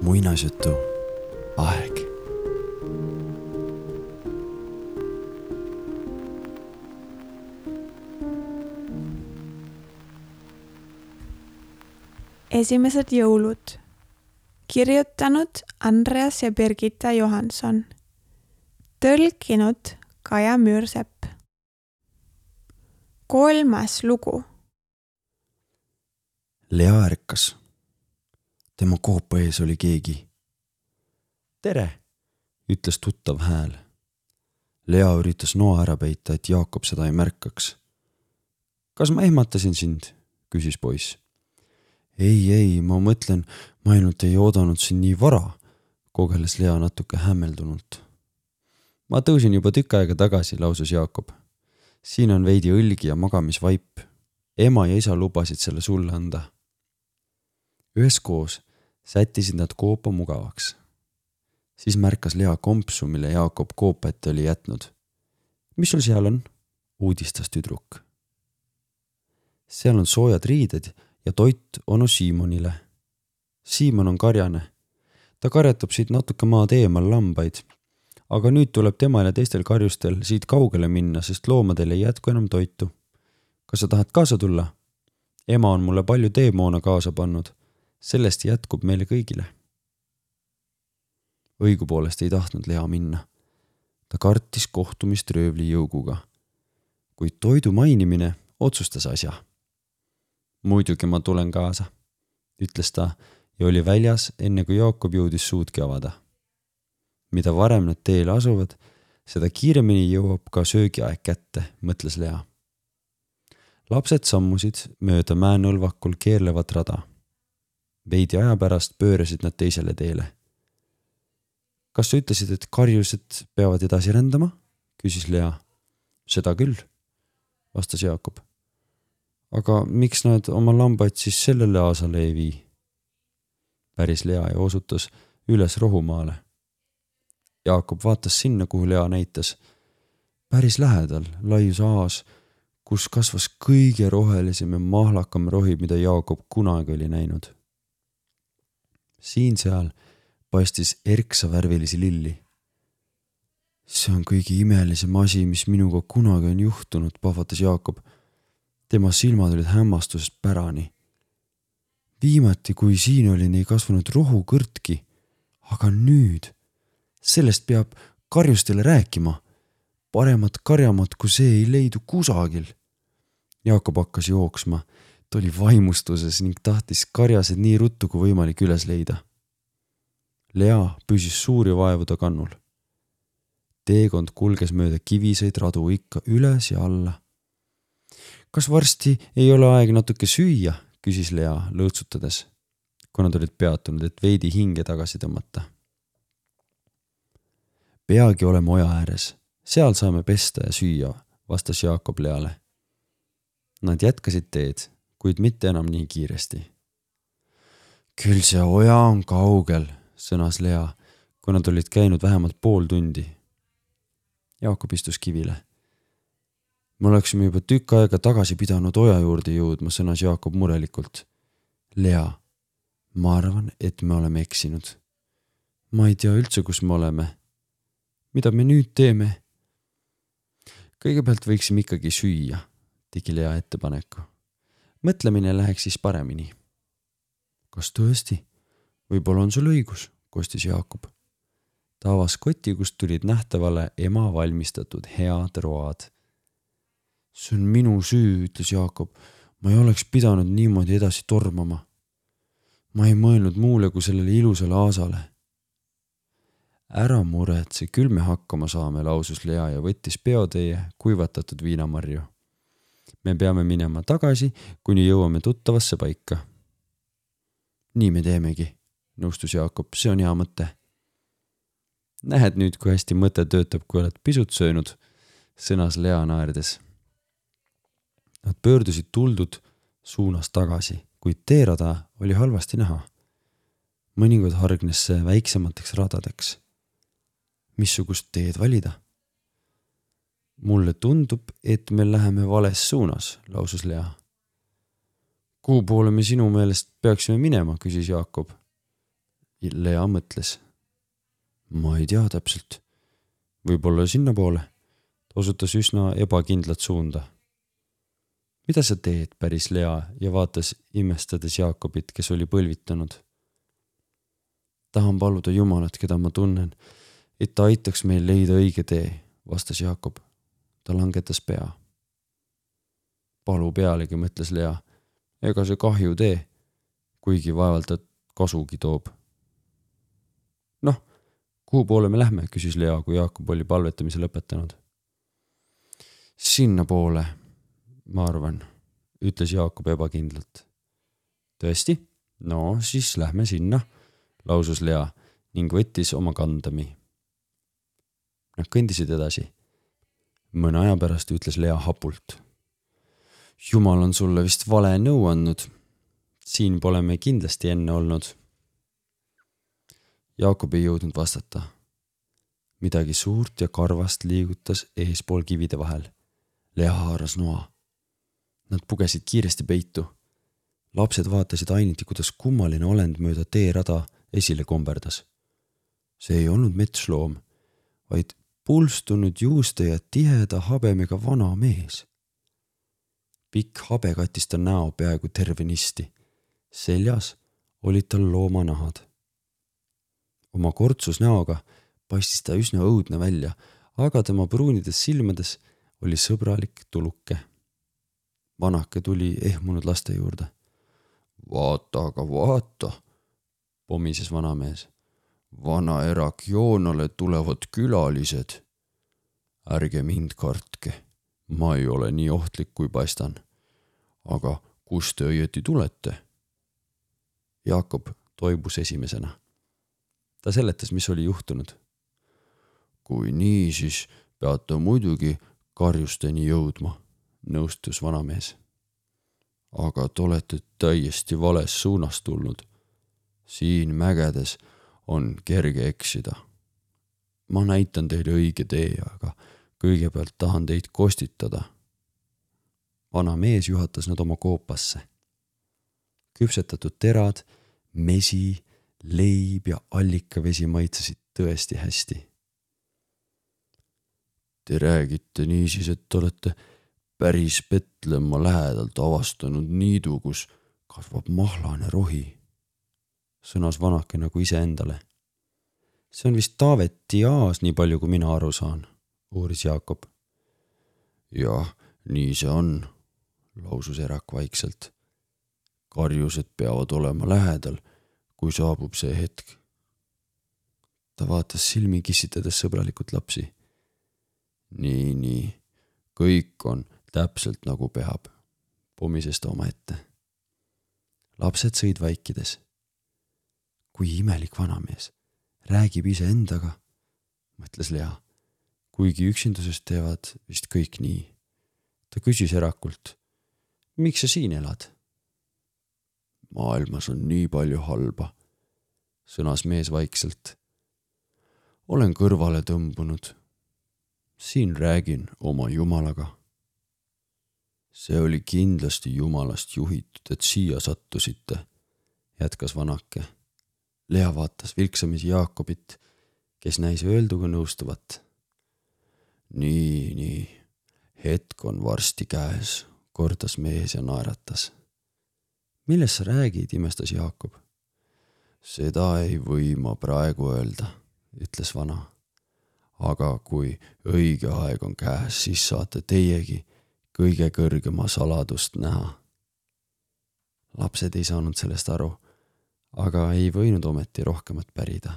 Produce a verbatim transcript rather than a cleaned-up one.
muinasjutu aeg. Esimesed jõulud. Kirjutanud Andreas ja Birgitta Johansson. Tõlkinud Kaja Müürsepp. Kolmas lugu. Lea ärkas. Tema koopa ees oli keegi. Tere, ütles tuttav hääl. Lea üritas noa ära peita, et Jaakob seda ei märkaks. Kas ma ehmatasin sind? Küsis poiss. Ei, ei, ma mõtlen, ma ainult ei oodanud sind nii vara, kogeles Lea natuke hämmeldunult. Ma tõusin juba tükk aega tagasi, lausus Jaakob. Siin on veidi õlgi ja magamisvaip. Ema ja isa lubasid selle sulle anda. Üheskoos sättisid nad koopa mugavaks. Siis märkas Lea kompsu, mille Jaakob koopa ette oli jätnud. Mis sul seal on? Uudistas tüdruk. Seal on soojad riided ja toit onu Siimonile. Siimon on karjane. Ta karjatab siit natuke maad eemal lambaid. Aga nüüd tuleb temal ja teistel karjustel siit kaugele minna, sest loomadel ei jätku enam toitu. Kas sa tahad kaasa tulla? Ema on mulle palju teemoona kaasa pannud. Sellest jätkub meile kõigile. Õigupoolest ei tahtnud Lea minna. Ta kartis kohtumist röövli jõuguga. Kuid toidu mainimine otsustas asja. Muidugi ma tulen kaasa, ütles ta ja oli väljas, enne kui Jaakob jõudis suudki avada. Mida varem nad teele asuvad, seda kiiremini jõuab ka söögiaeg kätte, mõtles Lea. Lapsed sammusid mööda mäenõlvakul keerlevat rada. Veidi aja pärast pöörasid nad teisele teele. Kas sa ütlesid, et karjused peavad edasi rändama? Küsis Lea. Seda küll, vastas Jaakob. Aga miks nad oma lambaid siis sellele aasale ei vii? Päris Lea ja osutas üles rohumaale. Jaakob vaatas sinna, kuhu Lea näitas. Päris lähedal laius aas, kus kasvas kõige rohelisem ja mahlakam rohi, mida Jaakob kunagi oli näinud. Siin seal paistis erksa värvilisi lilli. See on kõige imelisem asi, mis minuga kunagi on juhtunud, pahvatas Jaakob. Tema silmad olid hämmastusest pärani. Viimati, kui siin oli, ei kasvanud rohukõrtki, aga nüüd, sellest peab karjustele rääkima. Paremat karjamat, kui see ei leidu kusagil. Jaakob hakkas jooksma. Ta oli vaimustuses ning tahtis karjased nii ruttu kui võimalik üles leida. Lea püsis suuri vaevuda kannul. Teekond kulges mööda kiviseid radu ikka üles ja alla. Kas varsti ei ole aeg natuke süüa, küsis Lea lõõtsutades, kui nad olid peatunud, et veidi hinge tagasi tõmmata. Peagi oleme oja ääres, seal saame pesta ja süüa, vastas Jaakob Leale. Nad jätkasid teed, kuid mitte enam nii kiiresti. Küll see oja on kaugel, sõnas Lea, kui nad olid käinud vähemalt pool tundi. Jaakob istus kivile. Me oleksime juba tükk aega tagasi pidanud oja juurde jõudma, sõnas Jaakob murelikult. Lea, ma arvan, et me oleme eksinud. Ma ei tea üldse, kus me oleme. Mida me nüüd teeme? Kõigepealt võiksime ikkagi süüa, tegi Lea ettepaneku. Mõtlemine läheks siis paremini. Kas tõesti? Võib-olla on sul õigus, kostis Jaakob. Ta avas koti, kust tulid nähtavale ema valmistatud head road. See on minu süü, ütles Jaakob. Ma ei oleks pidanud niimoodi edasi tormama. Ma ei mõelnud muule kui sellele ilusale aasale. Ära muretse, küll me hakkama saame, lausus Lea ja võttis peoteie kuivatatud viinamarju. Me peame minema tagasi, kuni jõuame tuttavasse paika. Nii me teemegi, nõustus Jaakob, see on hea mõte. Nähed nüüd, kui hästi mõte töötab, kui oled pisut söönud, sõnas Lea naerdes. Nad pöördusid tuldud suunas tagasi, kuid teerada oli halvasti näha. Mõningad hargnes see väiksemateks radadeks. Missugust teed valida? Mulle tundub, et me läheme vales suunas, lausus Lea. kuhu poole me sinu meelest peaksime minema, küsis Jaakob. Lea mõtles. Ma ei tea täpselt. Võib-olla sinna poole. Ta osutas üsna ebakindlat suunda. Mida sa teed, päris Lea ja vaatas imestades Jaakobit, kes oli põlvitanud. Tahan paluda Jumalat, keda ma tunnen, et ta aitaks meil leida õige tee, vastas Jaakob. Ta langetas pea. Palu pealegi, mõtles Lea. Ega see kahju tee, kuigi vaevalt ta kasugi toob. Noh, kuhu poole me lähme, küsis Lea, kui Jaakob oli palvetamise lõpetanud. Sinna poole, ma arvan, ütles Jaakob ebakindlalt. Tõesti? No, siis lähme sinna, lausus Lea ning võttis oma kandami. Nad kõndisid edasi. Mõne aja pärast ütles Lea hapult. Jumal on sulle vist vale nõu andnud. Siin pole me kindlasti enne olnud. Jaakob ei jõudnud vastata. Midagi suurt ja karvast liigutas eespool kivide vahel. Lea haaras noa. Nad pugesid kiiresti peitu. Lapsed vaatasid ainiti, kuidas kummaline olend mööda teerada esile komberdas. See ei olnud metsloom, vaid pulstunud juuste ja tiheda habemega vana mees. Pikk habe kattis ta näo peaaegu tervenisti. Seljas olid tal loomanahad. Oma kortsus näoga paistis ta üsna õudne välja, aga tema pruunides silmades oli sõbralik tuluke. Vanake tuli ehmunud laste juurde. Vaata, aga vaata, pomises vanamees. Vana erak Joonale tulevad külalised. Ärge mind kartke, ma ei ole nii ohtlik kui paistan. Aga kus te õieti tulete? Jaakob toibus esimesena. Ta seletas, mis oli juhtunud. Kui nii, siis peate muidugi karjusteni jõudma, nõustus vanamees. Aga te olete täiesti vales suunas tulnud. Siin mägedes on kerge eksida. Ma näitan teile õige tee, aga kõigepealt tahan teid kostitada. Vana mees juhatas nad oma koopasse. Küpsetatud terad, mesi, leib ja allikavesi maitsesid tõesti hästi. Te räägite niisiis, et olete päris Petlemma lähedalt avastanud niidu, kus kasvab mahlane rohi, sõnas vanake nagu ise endale. See on vist Taaveti aas, nii palju kui mina aru saan, uuris Jaakob. Jah, nii see on, lausus erak vaikselt. Karjused peavad olema lähedal, kui saabub see hetk. Ta vaatas silmi kissitades sõbralikult lapsi. Nii, nii, kõik on täpselt nagu peab, pomises ta oma ette. Lapsed sõid vaikides. Kui imelik vanamees, räägib ise endaga, mõtles Lea, kuigi üksindusest teevad vist kõik nii. Ta küsis erakult, miks sa siin elad? Maailmas on nii palju halba, sõnas mees vaikselt. Olen kõrvale tõmbunud. Siin räägin oma Jumalaga. See oli kindlasti Jumalast juhitud, et siia sattusite, jätkas vanake. Lea vaatas vilksamisi Jaakobit, kes näis öelduga nõustuvat. Nii, nii, hetk on varsti käes, kordas mees ja naeratas. Millest sa räägid, imestas Jaakob? Seda ei või ma praegu öelda, ütles vana. Aga kui õige aeg on käes, siis saate teiegi kõige kõrgema saladust näha. Lapsed ei saanud sellest aru, aga ei võinud ometi rohkemat pärida.